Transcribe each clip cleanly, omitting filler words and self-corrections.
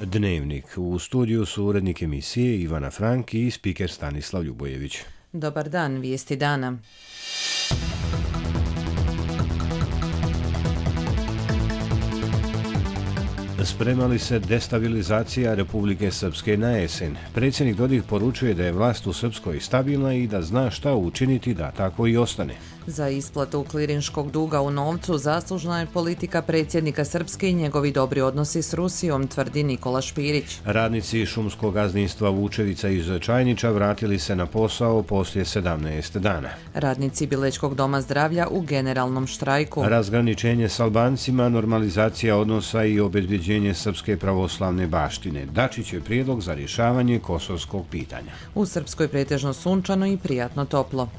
Dnevnik. U studiju su urednik emisije Ivana Frank i spiker Stanislav Ljubojević. Dobar dan, vijesti dana. Sprema li se destabilizacija Republike Srpske na jesen? Predsjednik Dodik poručuje da je vlast u Srpskoj stabilna i da zna šta učiniti da tako i ostane. Za isplatu klirinškog duga u novcu zaslužna je politika predsjednika Srpske i njegovi dobri odnosi s Rusijom, tvrdi Nikola Špirić. Radnici šumskog gazdinstva Vučevica iz Čajniča vratili se na posao poslije 17 dana. Radnici Bilečkog doma zdravlja u generalnom štrajku. Razgraničenje s Albancima, normalizacija odnosa i obezbeđenje srpske pravoslavne baštine. Dačić je prijedlog za rješavanje kosovskog pitanja. U Srpskoj pretežno sunčano i prijatno toplo.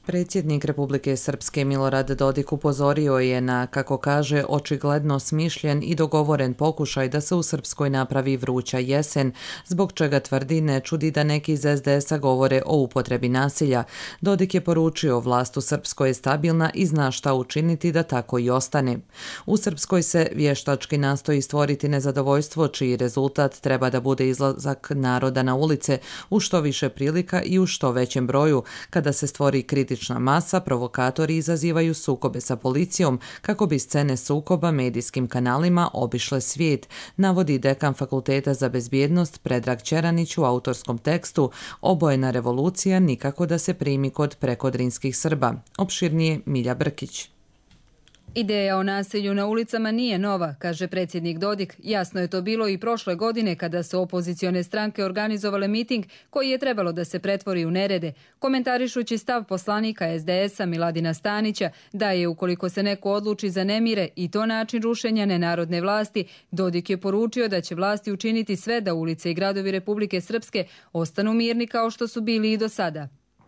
Predsjednik Republike Srpske Milorad Dodik upozorio je na, kako kaže, očigledno smišljen i dogovoren pokušaj da se u Srpskoj napravi vruća jesen, zbog čega tvrdi ne čudi da neki iz SDS-a govore o upotrebi nasilja. Dodik je poručio vlast u Srpskoj je stabilna i zna šta učiniti da tako i ostane. U Srpskoj se vještački nastoji stvoriti nezadovoljstvo čiji rezultat treba da bude izlazak naroda na ulice u što više prilika i u što većem broju. Kada se stvori kritična masa, provokatori izazivaju sukobe sa policijom kako bi scene sukoba medijskim kanalima obišle svijet, navodi dekan Fakulteta za bezbjednost Predrag Čeranić u autorskom tekstu Obojena revolucija nikako da se primi kod prekodrinskih Srba. Opširnije Milja Brkić. Ideja o nasilju na ulicama nije nova, kaže predsjednik Dodik. Jasno je to bilo i prošle godine kada su opozicione stranke organizovale miting koji je trebalo da se pretvori u nerede, komentarišući stav poslanika SDS-a Miladina Stanića da je ukoliko se neko odluči za nemire i to način rušenja nenarodne vlasti, Dodik je poručio da će vlasti učiniti sve da ulice i gradovi Republike Srpske ostanu mirni kao što su bili i do sada.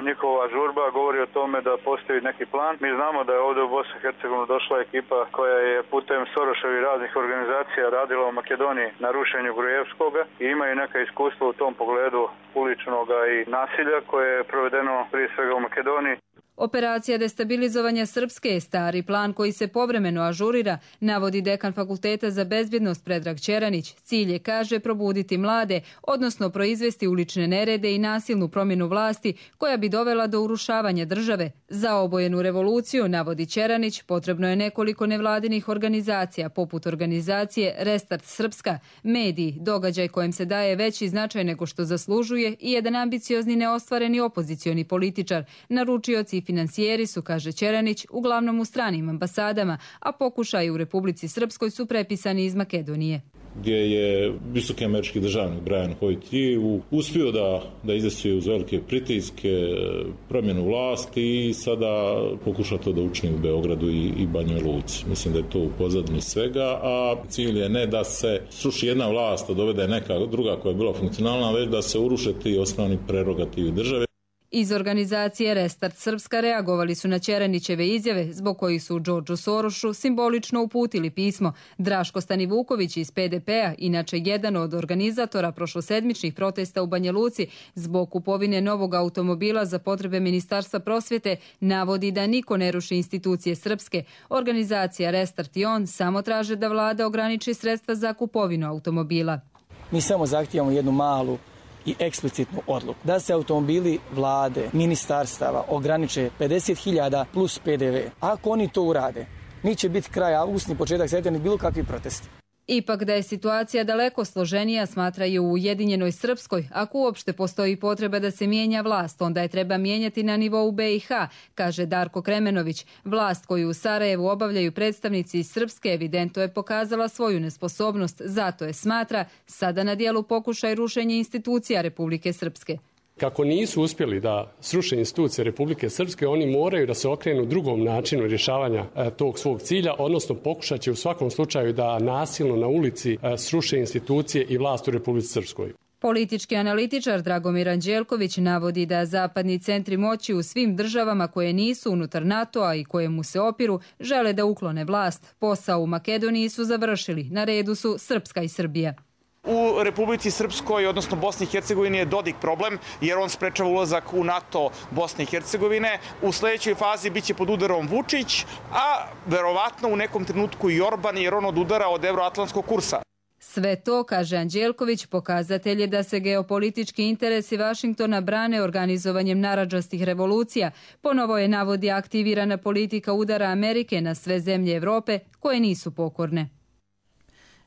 Njihova žurba govori o tome da postoji neki plan. Mi znamo da je ovdje u Bosni i Hercegovini došla ekipa koja je putem Soroševih raznih organizacija radila u Makedoniji na rušenju Grujevskoga i imaju neka iskustva u tom pogledu uličnog i nasilja koje je provedeno prije svega u Makedoniji. Operacija destabilizovanja Srpske je stari plan koji se povremeno ažurira, navodi dekan Fakulteta za bezbjednost Predrag Čeranić. Cilj je, kaže, probuditi mlade, odnosno proizvesti ulične nerede i nasilnu promjenu vlasti koja bi dovela do urušavanja države. Za obojenu revoluciju, navodi Čeranić, potrebno je nekoliko nevladinih organizacija, poput organizacije Restart Srpska, mediji, događaj kojem se daje veći značaj nego što zaslužuje i jedan ambiciozni neostvareni opozicioni političar, naručioci i financijeri su, kaže Čeranić, uglavnom u stranim ambasadama, a pokušaji u Republici Srpskoj su prepisani iz Makedonije. Gdje je visoki američki državnik Brian Hoyt uspio da izdesuje uz velike pritiske promjenu vlasti i sada pokuša to da učini u Beogradu i Banjoj Luci. Mislim da je to u pozadini svega, a cilj je ne da se sruši jedna vlast, a dovede neka druga koja je bila funkcionalna, već da se uruše ti osnovni prerogativi države. Iz organizacije Restart Srpska reagovali su na Čeranićeve izjave, zbog kojih su Đorđu Sorošu simbolično uputili pismo. Draško Stanivuković iz PDP-a, inače jedan od organizatora prošlosedmičnih protesta u Banja Luci zbog kupovine novog automobila za potrebe Ministarstva prosvjete, navodi da niko ne ruši institucije srpske. Organizacija Restart i on samo traže da vlada ograniči sredstva za kupovinu automobila. Mi samo zahtijevamo jednu malu i eksplicitnu odluku da se automobili vlade, ministarstava ograniče 50.000 plus PDV. Ako oni to urade, neće biti kraj avgusta ni početak septembra ni bilo kakvi protesti. Ipak da je situacija daleko složenija, smatraju u Ujedinjenoj Srpskoj. Ako uopšte postoji potreba da se mijenja vlast, onda je treba mijenjati na nivou BiH, kaže Darko Kremenović. Vlast koju u Sarajevu obavljaju predstavnici iz Srpske evidentno je pokazala svoju nesposobnost, zato je, smatra, sada na dijelu pokušaj rušenja institucija Republike Srpske. Kako nisu uspjeli da sruše institucije Republike Srpske, oni moraju da se okrenu drugom načinu rješavanja tog svog cilja, odnosno pokušat će u svakom slučaju da nasilno na ulici sruše institucije i vlast u Republici Srpskoj. Politički analitičar Dragomir Anđelković navodi da zapadni centri moći u svim državama koje nisu unutar NATO-a i koje mu se opiru žele da uklone vlast. Posao u Makedoniji su završili, na redu su Srpska i Srbija. U Republici Srpskoj, odnosno Bosni i Hercegovini, je Dodik problem, jer on sprečava ulazak u NATO Bosne i Hercegovine. U sledećoj fazi biće pod udarom Vučić, a verovatno u nekom trenutku i Orban, jer on odudara od evroatlantskog kursa. Sve to, kaže Anđelković, pokazatelj je da se geopolitički interesi Vašingtona brane organizovanjem narandžastih revolucija. Ponovo je, navodi, aktivirana politika udara Amerike na sve zemlje Evrope koje nisu pokorne.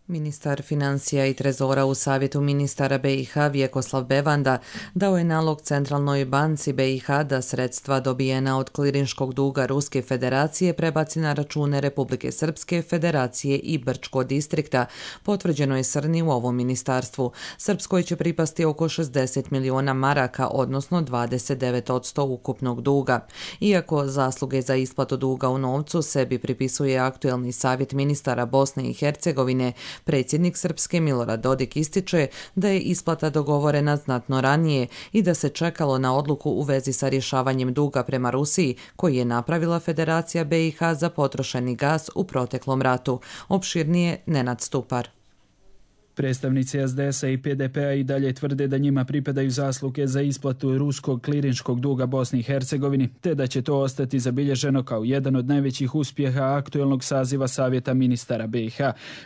Ministar financija i trezora u Savjetu ministara BiH Vjekoslav Bevanda dao je nalog Centralnoj banci BiH da sredstva dobijena od klirinškog duga Ruske federacije prebaci na račune Republike Srpske, Federacije i Brčko distrikta. Potvrđeno je Srni u ovom ministarstvu. Srpskoj će pripasti oko 60 miliona maraka, odnosno 29% ukupnog duga. Iako zasluge za isplatu duga u novcu sebi pripisuje aktuelni Savjet ministara Bosne i Hercegovine, predsjednik Srpske Milorad Dodik ističe da je isplata dogovorena znatno ranije i da se čekalo na odluku u vezi sa rješavanjem duga prema Rusiji koji je napravila Federacija BiH za potrošeni gas u proteklom ratu. Opširnije Nenad Stupar. Predstavnici SDS-a i PDP-a i dalje tvrde da njima pripadaju zasluge za isplatu ruskog klirinškog duga Bosni i Hercegovini, te da će to ostati zabilježeno kao jedan od najvećih uspjeha aktuelnog saziva Savjeta ministara BiH.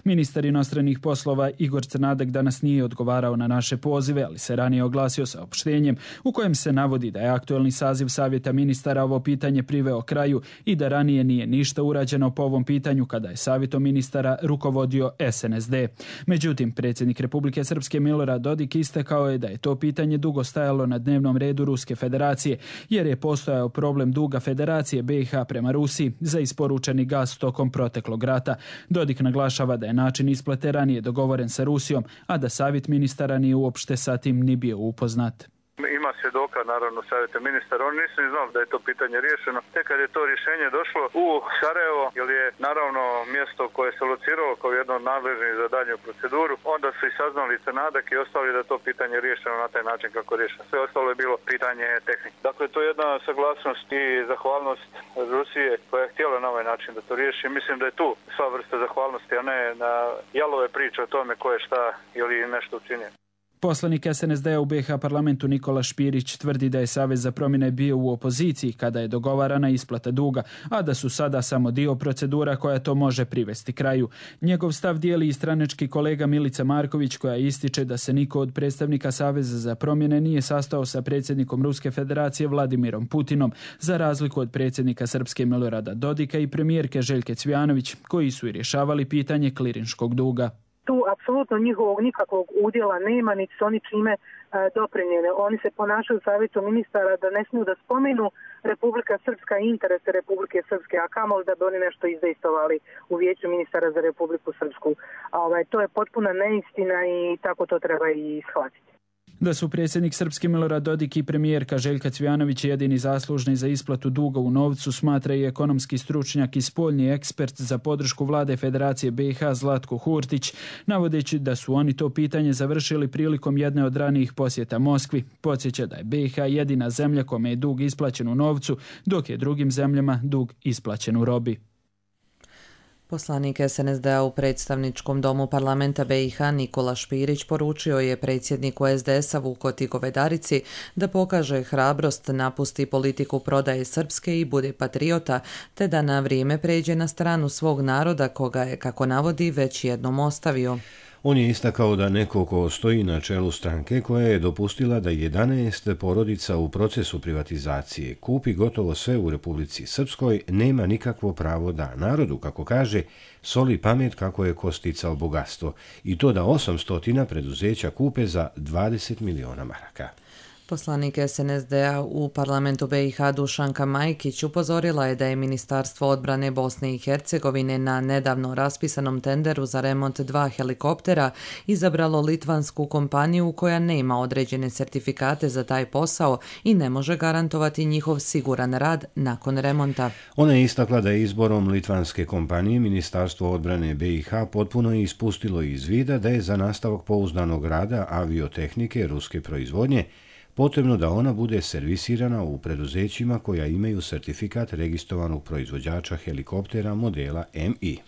Ministar inostranih poslova Igor Crnadek danas nije odgovarao na naše pozive, ali se ranije oglasio saopštenjem u kojem se navodi da je aktuelni saziv Savjeta ministara ovo pitanje priveo kraju i da ranije nije ništa urađeno po ovom pitanju kada je Savjetom ministara rukovodio SNSD. Međutim, predsjednik Republike Srpske Milorad Dodik istakao je da je to pitanje dugo stajalo na dnevnom redu Ruske federacije, jer je postojao problem duga Federacije BiH prema Rusiji za isporučeni gas tokom proteklog rata. Dodik naglašava da je način isplate ranije dogovoren sa Rusijom, a da savjet ministara nije uopšte sa tim ni bio upoznat. Ima svjedoka, naravno, Savjeta ministara. Oni nisu ni znali da je to pitanje riješeno. Tek kad je to rješenje došlo u Sarajevo, jer je naravno mjesto koje se lociralo kao jedno od nadležnih za daljnju proceduru, onda su i saznali Crnadak i ostali da to pitanje riješeno na taj način kako je riješeno. Sve ostalo je bilo pitanje tehnike. Dakle, to je jedna saglasnost i zahvalnost Rusije koja je htjela na ovaj način da to riješi. Mislim da je tu sva vrsta zahvalnosti, a ne na jalove priče o tome ko je šta ili nešto učinio. Poslanik SNSD-a u BiH parlamentu Nikola Špirić tvrdi da je Savez za promjene bio u opoziciji kada je dogovarana isplata duga, a da su sada samo dio procedura koja to može privesti kraju. Njegov stav dijeli i stranački kolega Milica Marković, koja ističe da se niko od predstavnika Saveza za promjene nije sastao sa predsjednikom Ruske federacije Vladimirom Putinom, za razliku od predsjednika Srpske Milorada Dodika i premijerke Željke Cvijanović, koji su i rješavali pitanje klirinškog duga. Tu apsolutno njihovog nikakvog udjela nema, niti su oni čime doprinijeli. Oni se ponašaju u Savjetu ministara da ne smiju da spomenu Republika Srpska i interese Republike Srpske, a kamoli da bi oni nešto izdejstvovali u Vijeću ministara za Republiku Srpsku. To je potpuna neistina i tako to treba i shvatiti. Da su predsjednik Srpske Milorad Dodik i premijerka Željka Cvijanović jedini zaslužni za isplatu duga u novcu, smatra i ekonomski stručnjak i spoljni ekspert za podršku vlade Federacije BiH Zlatko Hurtić, navodeći da su oni to pitanje završili prilikom jedne od ranijih posjeta Moskvi. Podsjeća da je BiH jedina zemlja kome je dug isplaćen u novcu, dok je drugim zemljama dug isplaćen u robi. Poslanik SNSD-a u predstavničkom domu parlamenta BiH Nikola Špirić poručio je predsjedniku SDS-a Vukoti Govedarici da pokaže hrabrost, napusti politiku prodaje Srpske i bude patriota, te da na vrijeme pređe na stranu svog naroda koga je, kako navodi, već jednom ostavio. On je istakao da neko ko stoji na čelu stranke koja je dopustila da 11 porodica u procesu privatizacije kupi gotovo sve u Republici Srpskoj nema nikakvo pravo da narodu, kako kaže, soli pamet kako je ko sticao bogatstvo i to da 800 preduzeća kupe za 20 miliona maraka. Poslanik SNSD-a u parlamentu BiH Dušanka Majkić upozorila je da je Ministarstvo odbrane Bosne i Hercegovine na nedavno raspisanom tenderu za remont 2 helikoptera izabralo litvansku kompaniju koja nema određene sertifikate za taj posao i ne može garantovati njihov siguran rad nakon remonta. Ona je istakla da je izborom litvanske kompanije Ministarstvo odbrane BiH potpuno ispustilo iz vida da je za nastavak pouzdanog rada aviotehnike ruske proizvodnje potrebno da ona bude servisirana u preduzećima koja imaju sertifikat registrovanog proizvođača helikoptera modela MI.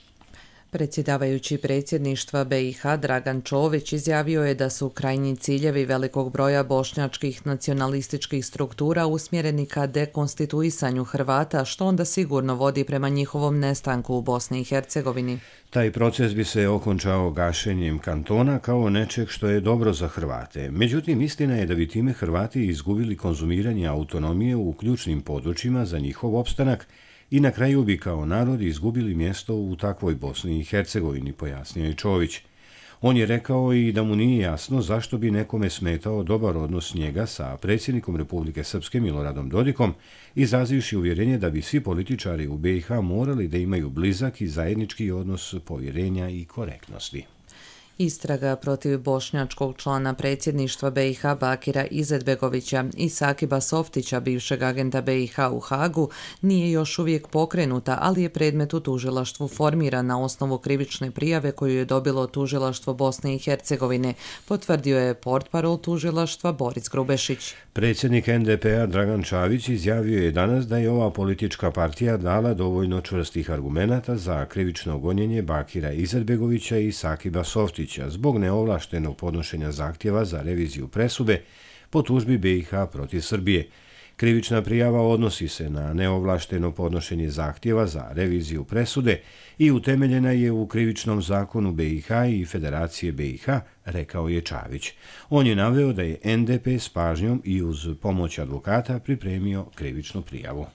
Predsjedavajući predsjedništva BiH Dragan Čović izjavio je da su krajnji ciljevi velikog broja bošnjačkih nacionalističkih struktura usmjereni ka dekonstituisanju Hrvata, što onda sigurno vodi prema njihovom nestanku u Bosni i Hercegovini. Taj proces bi se okončao gašenjem kantona kao nečeg što je dobro za Hrvate. Međutim, istina je da bi time Hrvati izgubili konzumiranje autonomije u ključnim područjima za njihov opstanak i na kraju bi kao narod izgubili mjesto u takvoj Bosni i Hercegovini, pojasnio je Čović. On je rekao i da mu nije jasno zašto bi nekome smetao dobar odnos njega sa predsjednikom Republike Srpske Miloradom Dodikom, izrazivši uvjerenje da bi svi političari u BiH morali da imaju blizak i zajednički odnos povjerenja i korektnosti. Istraga protiv bošnjačkog člana predsjedništva BiH Bakira Izetbegovića i Sakiba Softića, bivšeg agenta BiH u Hagu, nije još uvijek pokrenuta, ali je predmet u tužilaštvu formiran na osnovu krivične prijave koju je dobilo tužilaštvo Bosne i Hercegovine, potvrdio je portparol tužilaštva Boris Grubešić. Predsjednik NDP-a Dragan Čavić izjavio je danas da je ova politička partija dala dovoljno čvrstih argumenata za krivično gonjenje Bakira Izetbegovića i Sakiba Softića zbog neovlaštenog podnošenja zahtjeva za reviziju presude po tužbi BiH protiv Srbije. Krivična prijava odnosi se na neovlašteno podnošenje zahtjeva za reviziju presude i utemeljena je u krivičnom zakonu BiH i Federacije BiH, rekao je Čavić. On je naveo da je NDP s pažnjom i uz pomoć advokata pripremio krivičnu prijavu.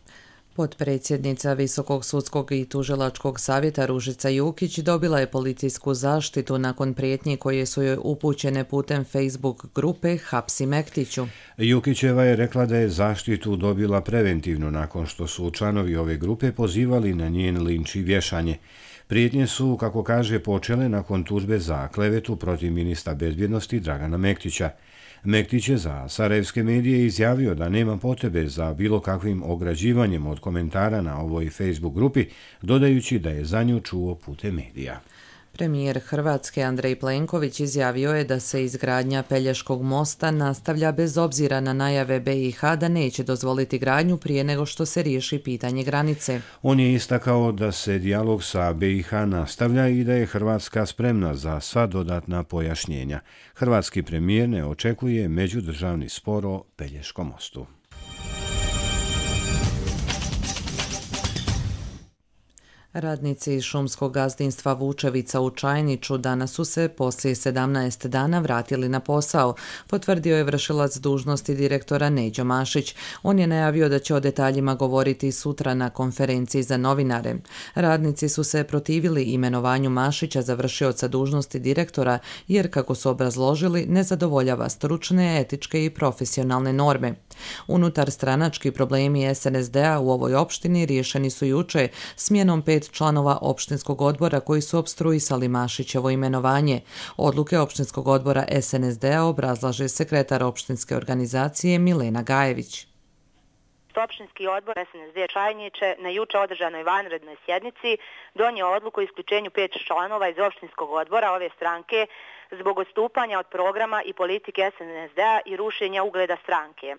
Potpredsjednica Visokog sudskog i tužilačkog savjeta Ružica Jukić dobila je policijsku zaštitu nakon prijetnji koje su joj upućene putem Facebook grupe Hapsi Mektiću. Jukićeva je rekla da je zaštitu dobila preventivno nakon što su članovi ove grupe pozivali na njen linč i vješanje. Prijetnje su, kako kaže, počele nakon tužbe za klevetu protiv ministra bezbjednosti Dragana Mektića. Mektić je za sarajevske medije izjavio da nema potrebe za bilo kakvim ograđivanjem od komentara na ovoj Facebook grupi, dodajući da je za nju čuo putem medija. Premijer Hrvatske Andrej Plenković izjavio je da se izgradnja Pelješkog mosta nastavlja bez obzira na najave BiH da neće dozvoliti gradnju prije nego što se riješi pitanje granice. On je istakao da se dijalog sa BiH nastavlja i da je Hrvatska spremna za sva dodatna pojašnjenja. Hrvatski premijer ne očekuje međudržavni spor o Pelješkom mostu. Radnici šumskog gazdinstva Vučevica u Čajniću danas su se poslije 17 dana vratili na posao, potvrdio je vršilac dužnosti direktora Neđo Mašić. On je najavio da će o detaljima govoriti sutra na konferenciji za novinare. Radnici su se protivili imenovanju Mašića za vršioca dužnosti direktora jer, kako su obrazložili, ne zadovoljava stručne, etičke i profesionalne norme. Unutar stranački problemi SNSD-a u ovoj opštini riješeni su juče smjenom 5 članova opštinskog odbora koji su opstruisali Mašićevo imenovanje. Odluke opštinskog odbora SNSD-a obrazlaže sekretar opštinske organizacije Milena Gajević. Opštinski odbor SNSD Čajniće na juče održanoj vanrednoj sjednici donio odluku o isključenju 5 članova iz opštinskog odbora ove stranke zbog odstupanja od programa i politike SNSD-a i rušenja ugleda stranke.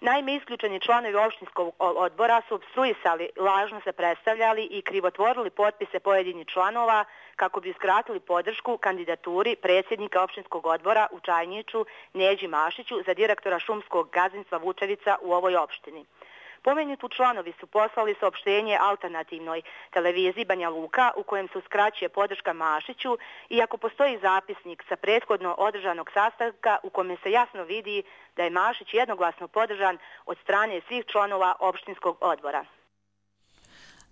Naime, isključeni članovi opštinskog odbora su opstruisali, lažno se predstavljali i krivotvorili potpise pojedinih članova kako bi uskratili podršku kandidaturi predsjednika opštinskog odbora u Čajniću Neđi Mašiću za direktora šumskog gazdinstva Vučevica u ovoj opštini. Pomenuti članovi su poslali saopštenje alternativnoj televiziji Banja Luka u kojem se uskraćuje podrška Mašiću, iako postoji zapisnik sa prethodno održanog sastanka u kome se jasno vidi da je Mašić jednoglasno podržan od strane svih članova opštinskog odbora.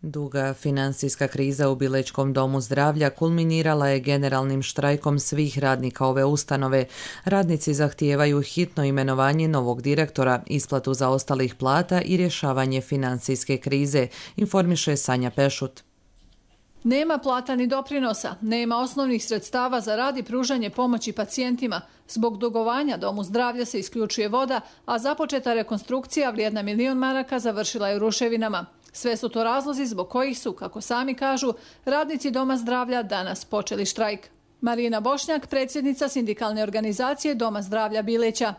Duga finansijska kriza u Bilećkom domu zdravlja kulminirala je generalnim štrajkom svih radnika ove ustanove. Radnici zahtijevaju hitno imenovanje novog direktora, isplatu zaostalih plata i rješavanje finansijske krize, informiše Sanja Pešut. Nema plata ni doprinosa, nema osnovnih sredstava za rad i pružanje pomoći pacijentima. Zbog dugovanja domu zdravlja se isključuje voda, a započeta rekonstrukcija vrijedna 1 milion maraka završila je u ruševinama. Sve su to razlozi zbog kojih su, kako sami kažu, radnici Doma zdravlja danas počeli štrajk. Marina Bošnjak, predsjednica sindikalne organizacije Doma zdravlja Bileća.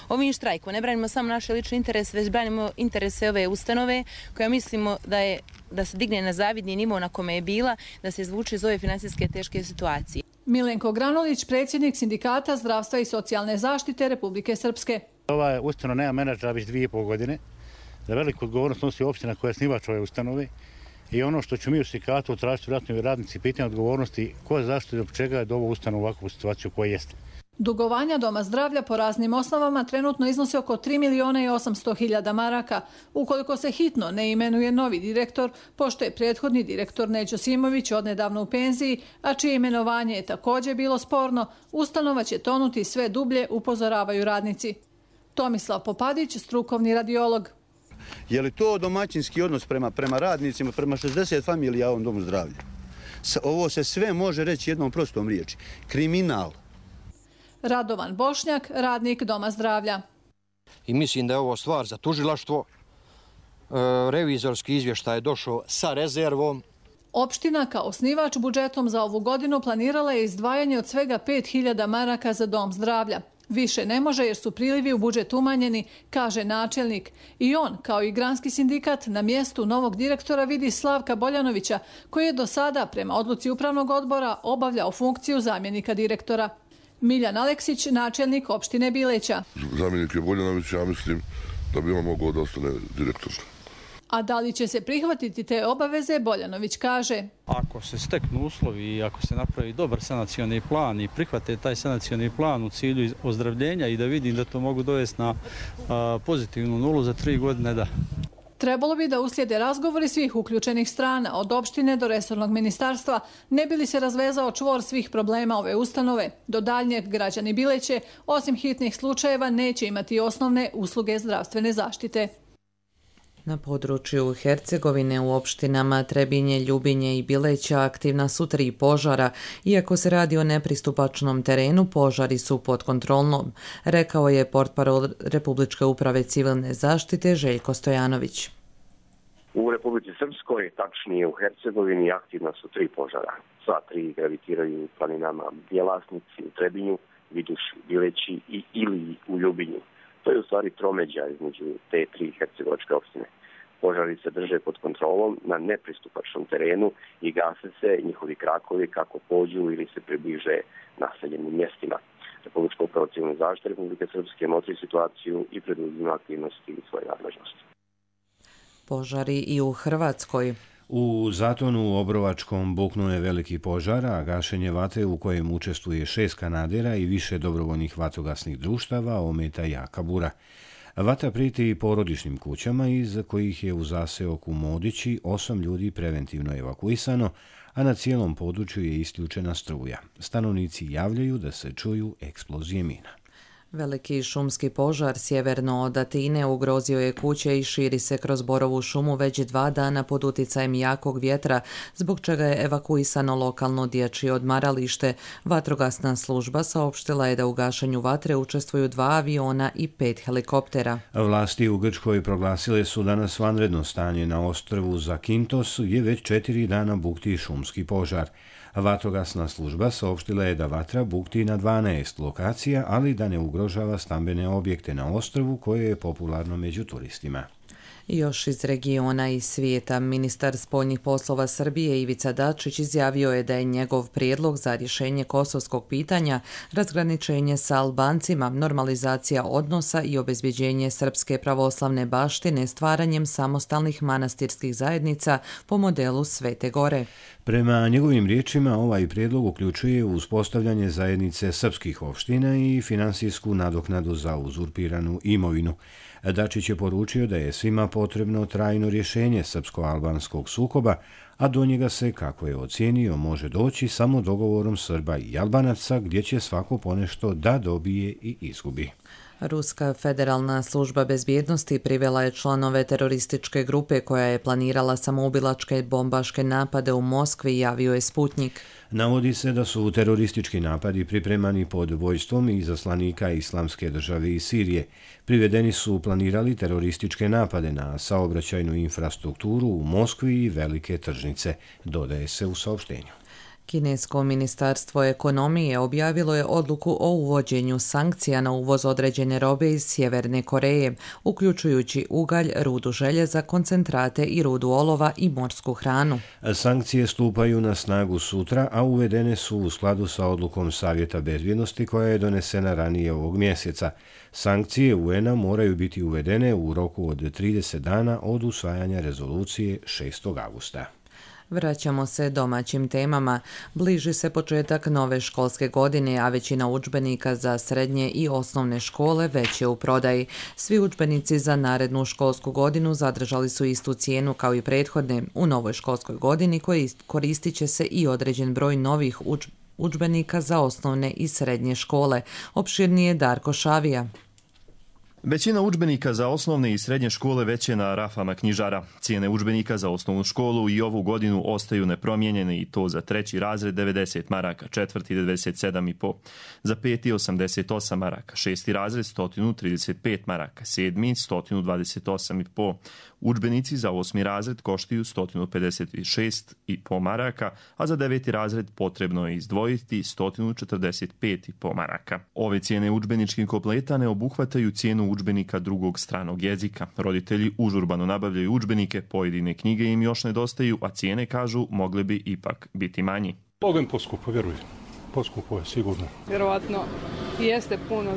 Ovim štrajkom ne branimo samo naše lične interese, već branimo interese ove ustanove koja mislimo da je da se digne na zavidni nivo na kome je bila, da se izvuče iz ove finansijske teške situacije. Milenko Granulić, predsjednik Sindikata zdravstva i socijalne zaštite Republike Srpske. Ova ustanova nema menadžera već 2,5 godine. Za veliku odgovornost nosi opština koja je osnivač ove ustanove. I ono što ću mi u sindikatu tražiti vjerojatno radnici pitanje odgovornosti ko je zašto i od čega je dovo ustanova u ovakvu situaciju koja jeste. Dugovanja Doma zdravlja po raznim osnovama trenutno iznosi oko 3.800.000 maraka. Ukoliko se hitno ne imenuje novi direktor, pošto je prethodni direktor Neđo Simović odnedavno u penziji, a čije imenovanje je također bilo sporno, ustanova će tonuti sve dublje, upozoravaju radnici. Tomislav Popadić, strukovni radiolog. Je li to domaćinski odnos prema radnicima, prema 60 familija u ovom domu zdravlja? Ovo se sve može reći jednom prostom riječi. Kriminal. Radovan Bošnjak, radnik Doma zdravlja. I mislim da je ovo stvar za tužilaštvo. Revizorski izvještaj je došao sa rezervom. Opština kao osnivač budžetom za ovu godinu planirala je izdvajanje od svega 5.000 maraka za Dom zdravlja. Više ne može jer su prilivi u budžet umanjeni, kaže načelnik. I on, kao i granski sindikat, na mjestu novog direktora vidi Slavka Boljanovića, koji je do sada, prema odluci upravnog odbora, obavljao funkciju zamjenika direktora. Miljan Aleksić, načelnik opštine Bileća. Zamjenik je Boljanović, ja mislim da bi on mogao da ostane direktor. A da li će se prihvatiti te obaveze, Boljanović kaže. Ako se steknu uslovi i ako se napravi dobar sanacioni plan i prihvate taj sanacioni plan u cilju ozdravljenja i da vidim da to mogu dovesti na pozitivnu nulu za 3 godine, da. Trebalo bi da uslijede razgovori svih uključenih strana, od opštine do resornog ministarstva, ne bi li se razvezao čvor svih problema ove ustanove. Do daljnjeg građani Bileće, osim hitnih slučajeva, neće imati osnovne usluge zdravstvene zaštite. Na području Hercegovine u opštinama Trebinje, Ljubinje i Bileća aktivna su 3 požara. Iako se radi o nepristupačnom terenu, požari su pod kontrolom, rekao je portparol Republičke uprave civilne zaštite Željko Stojanović. U Republici Srpskoj, tačnije u Hercegovini, aktivna su 3 požara. Sva 3 gravitiraju u planinama Bjelasnici, u Trebinju, Viduši, Bileći i ili u Ljubinju. To je u stvari tromeđa između te 3 hercegovačke opštine. Požari se drže pod kontrolom na nepristupačnom terenu i gase se njihovi krakovi kako pođu ili se približe naseljenim mjestima. Republička uprava civilne zaštite Republike Srpske motri situaciju i preduzima aktivnosti u svojoj nadležnosti. Požari i u Hrvatskoj. U Zatonu Obrovačkom buknuo je veliki požar, a gašenje vatre u kojem učestvuje 6 kanadera i više dobrovoljnih vatrogasnih društava ometa jaka bura. Vatra prijeti i porodičnim kućama, iz kojih je u zaseoku Modići 8 ljudi preventivno evakuisano, a na cijelom području je isključena struja. Stanovnici javljaju da se čuju eksplozije mina. Veliki šumski požar sjeverno od Atine ugrozio je kuće i širi se kroz Borovu šumu već 2 dana pod uticajem jakog vjetra, zbog čega je evakuisano lokalno dječje odmaralište. Vatrogasna služba saopštila je da u gašenju vatre učestvuju 2 aviona i 5 helikoptera. Vlasti u Grčkoj proglasile su danas vanredno stanje na ostrvu Zakintos, gdje već 4 dana bukti šumski požar. Vatrogasna služba saopštila je da vatra bukti na 12 lokacija, ali da ne ugrožava stambene objekte na ostrvu koje je popularno među turistima. Još iz regiona i svijeta, ministar spoljnih poslova Srbije Ivica Dačić izjavio je da je njegov prijedlog za rješenje kosovskog pitanja, razgraničenje sa Albancima, normalizacija odnosa i obezbjeđenje srpske pravoslavne baštine stvaranjem samostalnih manastirskih zajednica po modelu Svete Gore. Prema njegovim riječima, ovaj prijedlog uključuje uspostavljanje zajednice srpskih opština i finansijsku nadoknadu za uzurpiranu imovinu. Dačić je poručio da je svima potrebno trajno rješenje srpsko-albanskog sukoba, a do njega se, kako je ocijenio, može doći samo dogovorom Srba i Albanaca, gdje će svako ponešto da dobije i izgubi. Ruska federalna služba bezbjednosti privela je članove terorističke grupe koja je planirala samoubilačke bombaške napade u Moskvi, javio je Sputnik. Navodi se da su teroristički napadi pripremani pod vođstvom izaslanika Islamske države iz Sirije. Privedeni su planirali terorističke napade na saobraćajnu infrastrukturu u Moskvi i velike tržnice, dodaje se u saopštenju. Kinesko ministarstvo ekonomije objavilo je odluku o uvođenju sankcija na uvoz određene robe iz Sjeverne Koreje, uključujući ugalj, rudu željeza, koncentrate i rudu olova i morsku hranu. Sankcije stupaju na snagu sutra, a uvedene su u skladu sa odlukom Savjeta bezbjednosti koja je donesena ranije ovog mjeseca. Sankcije UN-a moraju biti uvedene u roku od 30 dana od usvajanja rezolucije 6. augusta. Vraćamo se domaćim temama. Bliži se početak nove školske godine, a većina udžbenika za srednje i osnovne škole već je u prodaji. Svi udžbenici za narednu školsku godinu zadržali su istu cijenu kao i prethodne. U novoj školskoj godini koristit će se i određen broj novih udžbenika za osnovne i srednje škole. Opširnije Darko Šavija. Većina udžbenika za osnovne i srednje škole već je na rafama knjižara. Cijene udžbenika za osnovnu školu i ovu godinu ostaju nepromijenjene i to za 3. razred 90 maraka, 4. 97,5, za 5. 88 maraka, 6. razred 135 maraka, 7. 128,5. Udžbenici za 8. razred koštaju 156,5 maraka, a za 9. razred potrebno je izdvojiti 145,5 maraka. Ove cijene udžbeničkih kompleta ne obuhvataju cijenu udžbenika drugog stranog jezika. Roditelji užurbano nabavljaju udžbenike, pojedine knjige im još nedostaju, a cijene, kažu, mogle bi ipak biti manji. Mogem poskupo, vjerujem. Poskupo je, sigurno. Vjerovatno jeste puno,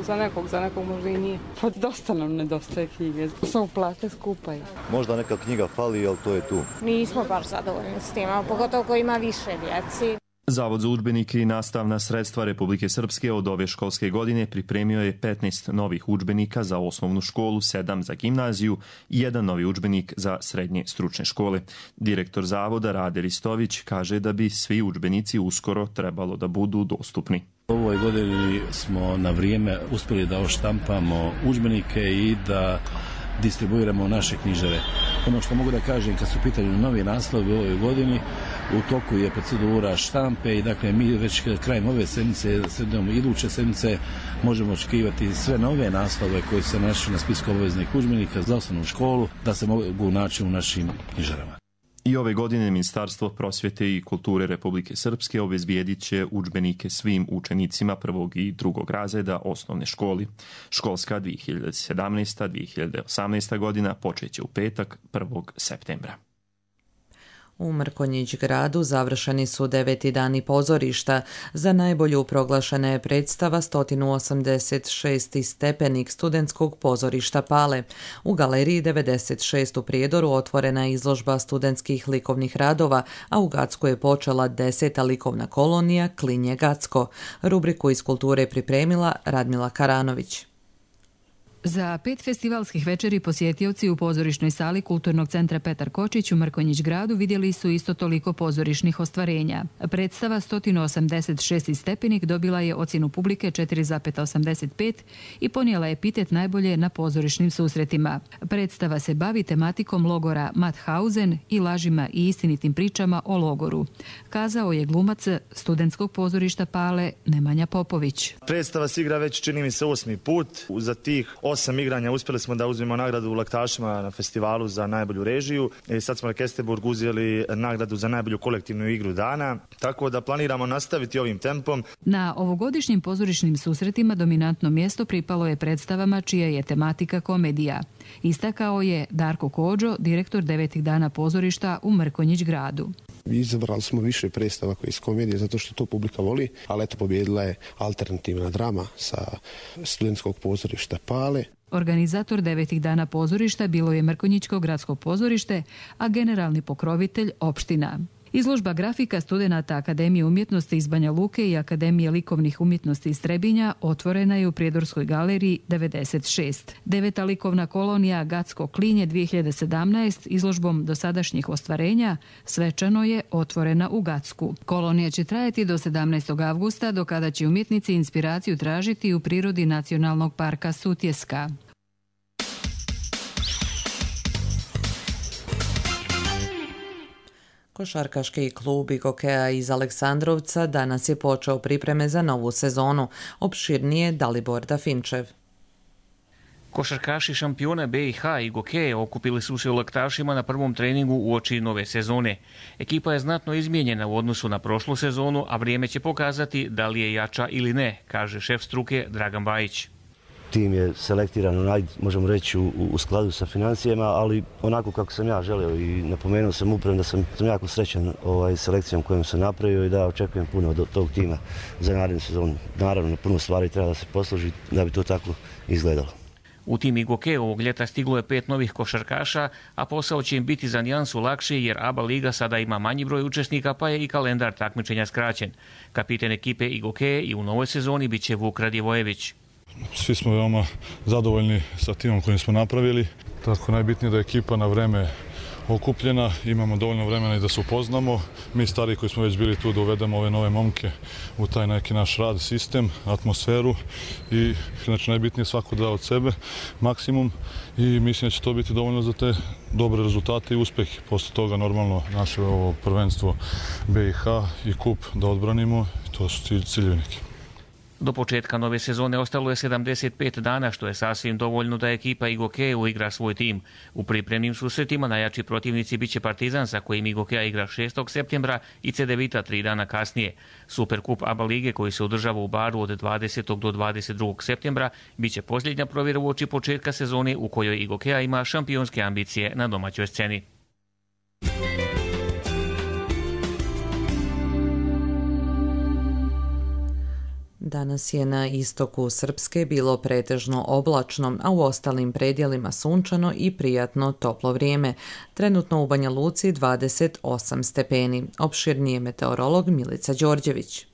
za nekog možda i nije. Pa dosta nam nedostaje knjige, samo plate skupaju. Možda neka knjiga fali, ali to je tu. Nismo baš zadovoljni s tim, pogotovo ko ima više djeci. Zavod za udžbenike i nastavna sredstva Republike Srpske od ove školske godine pripremio je 15 novih udžbenika za osnovnu školu, 7 za gimnaziju i 1 novi udžbenik za srednje stručne škole. Direktor zavoda Rade Ristović kaže da bi svi udžbenici uskoro trebalo da budu dostupni. U ovoj godini smo na vrijeme uspjeli da oštampamo udžbenike i da distribuiramo naše knjižare. Ono što mogu da kažem kad su u pitanju novi naslovi u ovoj godini, u toku je procedura štampe i dakle mi već krajem ove sedmice, iduće sedmice možemo očekivati sve nove naslove koji se našli na spisku obaveznih udžbenika za osnovnu školu da se mogu naći u našim knjižarama. I ove godine Ministarstvo prosvjete i kulture Republike Srpske obezbijedit će udžbenike svim učenicima 1. i 2. razreda osnovne školi. Školska 2017-2018 godina počeće u petak 1. septembra. U Mrkonjić gradu završeni su 9. dani pozorišta. Za najbolju proglašena je predstava 186. stepenik studentskog pozorišta Pale. U galeriji 96 u Prijedoru otvorena je izložba studentskih likovnih radova, a u Gacku je počela 10. likovna kolonija Klinje Gacko. Rubriku iz kulture pripremila Radmila Karanović. Za 5 festivalskih večeri posjetioci u pozorišnoj sali Kulturnog centra Petar Kočić u Mrkonjić gradu vidjeli su isto toliko pozorišnih ostvarenja. Predstava 186. stepenik dobila je ocjenu publike 4,85 i ponijela epitet najbolje na pozorišnim susretima. Predstava se bavi tematikom logora Mauthausen i lažima i istinitim pričama o logoru, kazao je glumac studentskog pozorišta Pale Nemanja Popović. Predstava se igra već, čini mi se, 8. put. Za tih 8 igranja uspjeli smo da uzmemo nagradu u Laktašima na festivalu za najbolju režiju i sad smo na Kesterburg uzeli nagradu za najbolju kolektivnu igru dana, tako da planiramo nastaviti ovim tempom. Na ovogodišnjim pozorišnim susretima dominantno mjesto pripalo je predstavama čija je tematika komedija. Istakao je Darko Kođo, direktor 9. dana pozorišta u Mrkonjić gradu. Izabrali smo više predstava koje iz komedije zato što to publika voli, ali eto pobjedila je alternativna drama sa studentskog pozorišta Pale. Organizator 9. dana pozorišta bilo je Mrkonjićko gradsko pozorište, a generalni pokrovitelj opština. Izložba grafika studenata Akademije umjetnosti iz Banja Luke i Akademije likovnih umjetnosti iz Trebinja otvorena je u Prijedorskoj galeriji 96. 9. likovna kolonija Gacko Klinje 2017 izložbom dosadašnjih ostvarenja svečano je otvorena u Gacku. Kolonija će trajati do 17. avgusta, do kada će umjetnici inspiraciju tražiti u prirodi Nacionalnog parka Sutjeska. Košarkaški klub Gokeja iz Aleksandrovca danas je počeo pripreme za novu sezonu. Opširnije Dalibor Dafinčev. Košarkaši šampiona BiH i Gokeje okupili su se u Laktašima na prvom treningu uoči nove sezone. Ekipa je znatno izmijenjena u odnosu na prošlu sezonu, a vrijeme će pokazati da li je jača ili ne, kaže šef struke Dragan Bajić. Tim je selektiran, možemo reći, u skladu sa financijama, ali onako kako sam ja želeo i napomenuo sam upravo da sam jako srećan selekcijom kojom sam napravio i da očekujem puno od tog tima za narednu sezonu. Naravno, puno stvari treba da se posloži da bi to tako izgledalo. U tim Igoke ovog ljeta stiglo je 5 novih košarkaša, a posao će im biti za nijansu lakši jer ABA liga sada ima manji broj učesnika, pa je i kalendar takmičenja skraćen. Kapiten ekipe Igoke i u novoj sezoni bit će Vuk Radivojević. Svi smo veoma zadovoljni sa timom kojim smo napravili. Tako najbitnije da je ekipa na vreme okupljena, imamo dovoljno vremena i da se upoznamo. Mi stari koji smo već bili tu da uvedemo ove nove momke u taj neki naš rad, sistem, atmosferu i znači najbitnije svako da od sebe maksimum i mislim da će to biti dovoljno za te dobre rezultate i uspjehe. Posle toga normalno naše ovo prvenstvo BiH i kup da odbranimo, to su ciljevi neki. Do početka nove sezone ostalo je 75 dana, što je sasvim dovoljno da ekipa Igoke uigra svoj tim. U pripremnim susretima najjači protivnici biće Partizan, sa kojim Igokea igra 6. septembra i Cedevita 3 dana kasnije. Superkup ABA lige, koji se održava u Baru od 20. do 22. septembra, biće posljednja provjera uoči početka sezone u kojoj Igokea ima šampionske ambicije na domaćoj sceni. Danas je na istoku Srpske bilo pretežno oblačno, a u ostalim predjelima sunčano i prijatno toplo vrijeme. Trenutno u Banja Luci 28 stepeni. Opširnije meteorolog Milica Đorđević.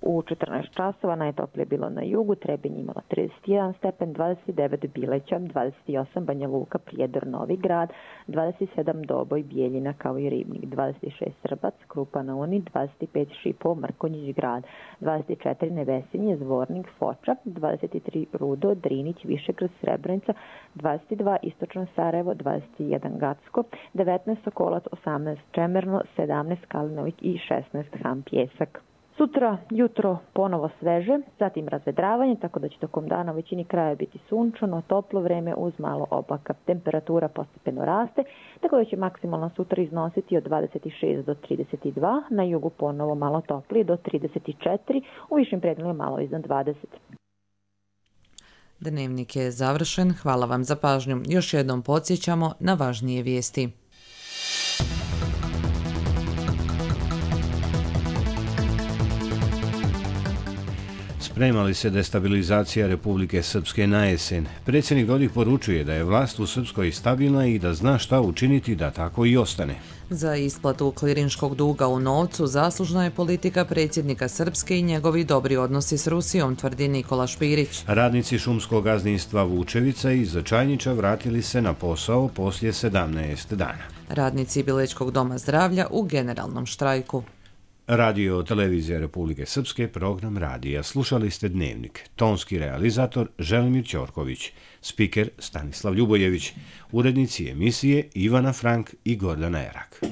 U 14 časova najtoplije bilo na jugu, Trebinj imala 31 stepen, 29 Bileća, 28 Banja Luka, Prijedor, Novi Grad, 27 Doboj, Bijeljina kao i Ribnik, 26 Srbac, Krupa na Uni, 25 Šipovo, Mrkonjić Grad, 24 Nevesinje, Zvornik, Foča, 23 Rudo, Drinić, Višegrad, Srebrenica, 22 Istočno Sarajevo, 21 Gacko, 19 Sokolac, 18 Čemerno, 17 Kalinović i 16 Ham Pjesak. Sutra jutro ponovo sveže, zatim razvedravanje, tako da će tokom dana u većini kraja biti sunčano, toplo vreme uz malo oblaka. Temperatura postepeno raste, tako da će maksimalno sutra iznositi od 26 do 32, na jugu ponovo malo toplije do 34, u višim predjelima malo iznad 20. Dnevnik je završen, hvala vam za pažnju. Još jednom podsjećamo na važnije vijesti. Sprema li se destabilizacija Republike Srpske na jesen? Predsjednik Dodik poručuje da je vlast u Srpskoj stabilna i da zna šta učiniti da tako i ostane. Za isplatu klirinškog duga u novcu zaslužna je politika predsjednika Srpske i njegovi dobri odnosi s Rusijom, tvrdi Nikola Špirić. Radnici šumskog gazdinstva Vučevica iz Čajniča vratili se na posao poslije 17 dana. Radnici Bilečkog doma zdravlja u generalnom štrajku. Radio Televizija Republike Srpske, program radija. Slušali ste Dnevnik. Tonski realizator Želimir Ćorković, spiker Stanislav Ljubojević, urednici emisije Ivana Frank i Gordana Erak.